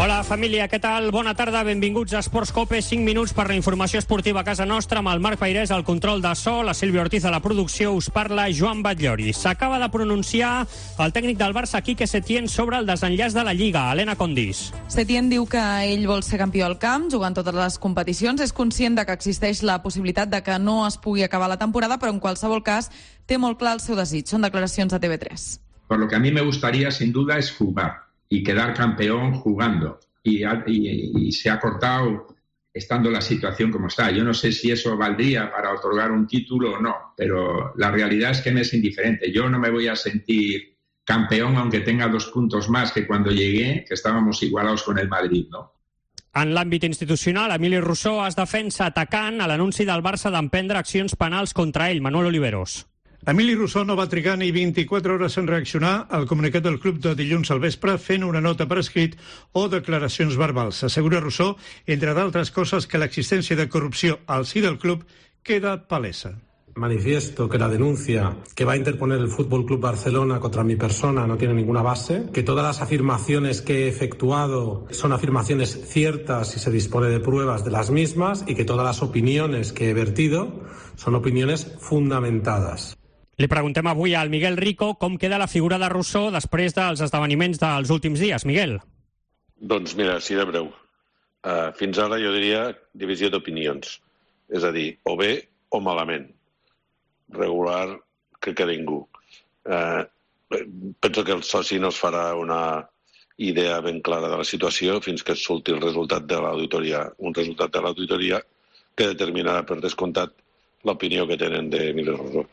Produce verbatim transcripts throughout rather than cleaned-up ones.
Hola família, què tal? Bona tarda, benvinguts a Esports Cope, cinc minuts per la informació esportiva a casa nostra, amb el Marc Pairès al control de so, la Sílvia Ortiz a la producció, us parla Joan Batllori. S'acaba de pronunciar el tècnic del Barça, Quique Setién, sobre el desenllaç de la Lliga. Helena Condís. Setién diu que ell vol ser campió al camp, jugant totes les competicions, és conscient de que existeix la possibilitat de que no es pugui acabar la temporada, però en qualsevol cas té molt clar el seu desig. Són declaracions de T V tres. Por lo que a mí me gustaría, sin duda, es jugar y quedar campeón jugando. Y, y, y se ha cortado estando la situación como está. Yo no sé si eso valdría para otorgar un título o no, pero la realidad es que me es indiferente. Yo no me voy a sentir campeón aunque tenga dos puntos más que cuando llegué, que estábamos igualados con el Madrid, ¿no? En l'àmbit institucional, Emili Rousseau es defensa atacant a l'anunci del Barça d'emprendre accions penals contra ell. Manuel Oliveros. Emili Rousseau no va trigar ni vint-i-quatre hores en reaccionar al comunicat del club de dilluns al vespre fent una nota per escrit o declaracions verbals. Assegura Rousseau, entre d'altres coses, que l'existència de corrupció al si del club queda palesa. Manifiesto que la denuncia que va a interponer el Fútbol Club Barcelona contra mi persona no tiene ninguna base, que todas las afirmaciones que he efectuado son afirmaciones ciertas y se dispone de pruebas de las mismas y que todas las opiniones que he vertido son opiniones fundamentadas. Li preguntem avui al Miguel Rico com queda la figura de Rousseau després dels esdeveniments dels últims dies. Miguel. Doncs mira, sí de breu. Uh, fins ara jo diria divisió d'opinions. És a dir, o bé o malament. Regular, crec que ningú. Uh, penso que el soci no es farà una idea ben clara de la situació fins que surti el resultat de l'auditoria. Un resultat de l'auditoria que determinarà per descomptat l'opinió que tenen d'Emili Rousseau.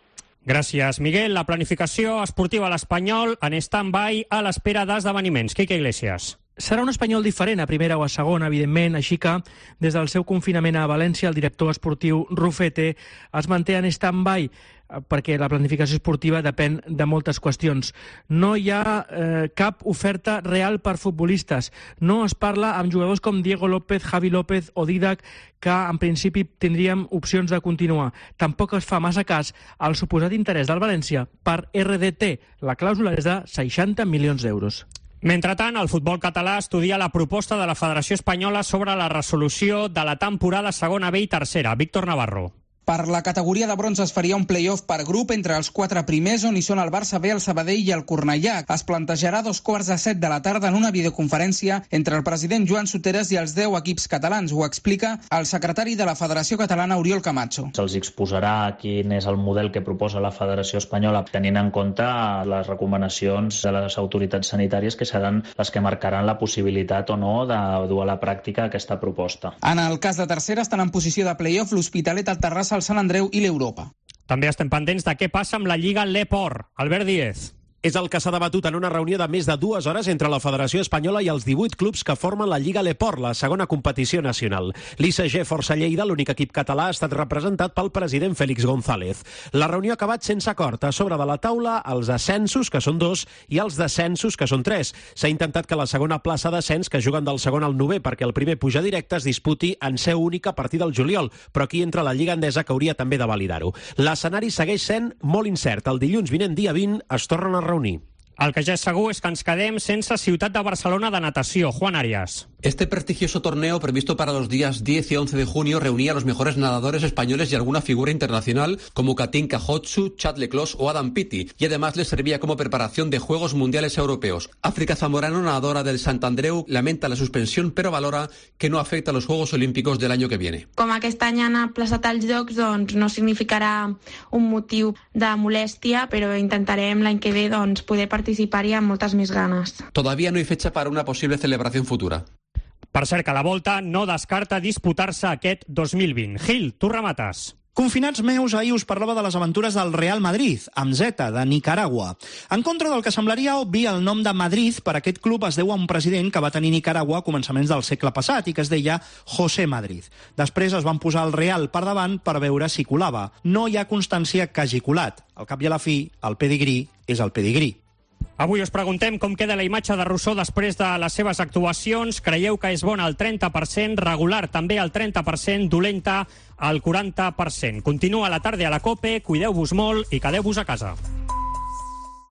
Gràcies, Miguel. La planificació esportiva a l'Espanyol en stand-by a l'espera d'esdeveniments. Quique Iglesias. Serà un Espanyol diferent a primera o a segona, evidentment, així que des del seu confinament a València el director esportiu Rufete es manté en stand-by perquè la planificació esportiva depèn de moltes qüestions. No hi ha eh, cap oferta real per futbolistes. No es parla amb jugadors com Diego López, Javi López o Didac, que en principi tindríem opcions de continuar. Tampoc es fa massa cas al suposat interès del València per R D T. La clàusula és de seixanta milions d'euros. Mentrestant, el futbol català estudia la proposta de la Federació Espanyola sobre la resolució de la temporada segona B i tercera. Víctor Navarro. Per la categoria de bronze es faria un play-off per grup entre els quatre primers, on hi són el Barça B, el Sabadell i el Cornellà. Es plantejarà a dos quarts de set de la tarda en una videoconferència entre el president Joan Soteres i els deu equips catalans. Ho explica el secretari de la Federació Catalana, Oriol Camacho. Se'ls exposarà quin és el model que proposa la Federació Espanyola, tenint en compte les recomanacions de les autoritats sanitàries, que seran les que marcaran la possibilitat o no de dur a la pràctica aquesta proposta. En el cas de tercera estan en posició de play-off l'Hospitalet, el Terrassa, el Sant Andreu i l'Europa. També estem pendents de què passa amb la Lliga L'Eport. Albert Díez. És el que s'ha debatut en una reunió de més de dues hores entre la Federació Espanyola i els divuit clubs que formen la Lliga L'Eport, la segona competició nacional. L'I C G Força Lleida, l'únic equip català, ha estat representat pel president Félix González. La reunió ha acabat sense acord. A sobre de la taula, els ascensos, que són dos, i els descensos, que són tres. S'ha intentat que la segona plaça d'ascens, que juguen del segon al novè perquè el primer puja directe, es disputi en seu única a partir del juliol, però aquí entra la Lliga Endesa, que hauria també de validar-ho. L'escenari segueix sent molt incert. El dilluns vinent, dia vint, es tornen a reunir. El que ja és segur és que ens quedem sense Ciutat de Barcelona de natació. Juan Arias. Este prestigioso torneo, previsto para los días diez y once de junio, reunía a los mejores nadadores españoles y alguna figura internacional como Katinka Hotsu, Chad Leclos o Adam Peaty, y además les servía como preparación de Juegos Mundiales Europeos. África Zamorano, nadadora del Sant Andreu, lamenta la suspensión, pero valora que no afecta a los Juegos Olímpicos del año que viene. Com aquest any han aplaçat els Jocs, doncs no significarà un motiu de molèstia, però intentarem l'any que ve doncs, poder participar-hi amb moltes més ganes. Todavía no hay fecha para una posible celebración futura. Per cert, que la Volta no descarta disputar-se aquest dos mil vint. Gil, tu remates. Confinats meus, ahir us parlava de les aventures del Real Madrid, amb Z, de Nicaragua. En contra del que semblaria obvi, el nom de Madrid per aquest club es deu a un president que va tenir Nicaragua a començaments del segle passat i que es deia José Madrid. Després es van posar el Real per davant per veure si colava. No hi ha constància que hagi colat. Al cap i a la fi, el pedigrí és el pedigrí. Avui us preguntem com queda la imatge de Rousseau després de les seves actuacions. Creieu que és bona al trenta per cent, regular també al trenta per cent, dolenta al quaranta per cent. Continua la tarda a la COPE, cuideu-vos molt i quedeu-vos a casa.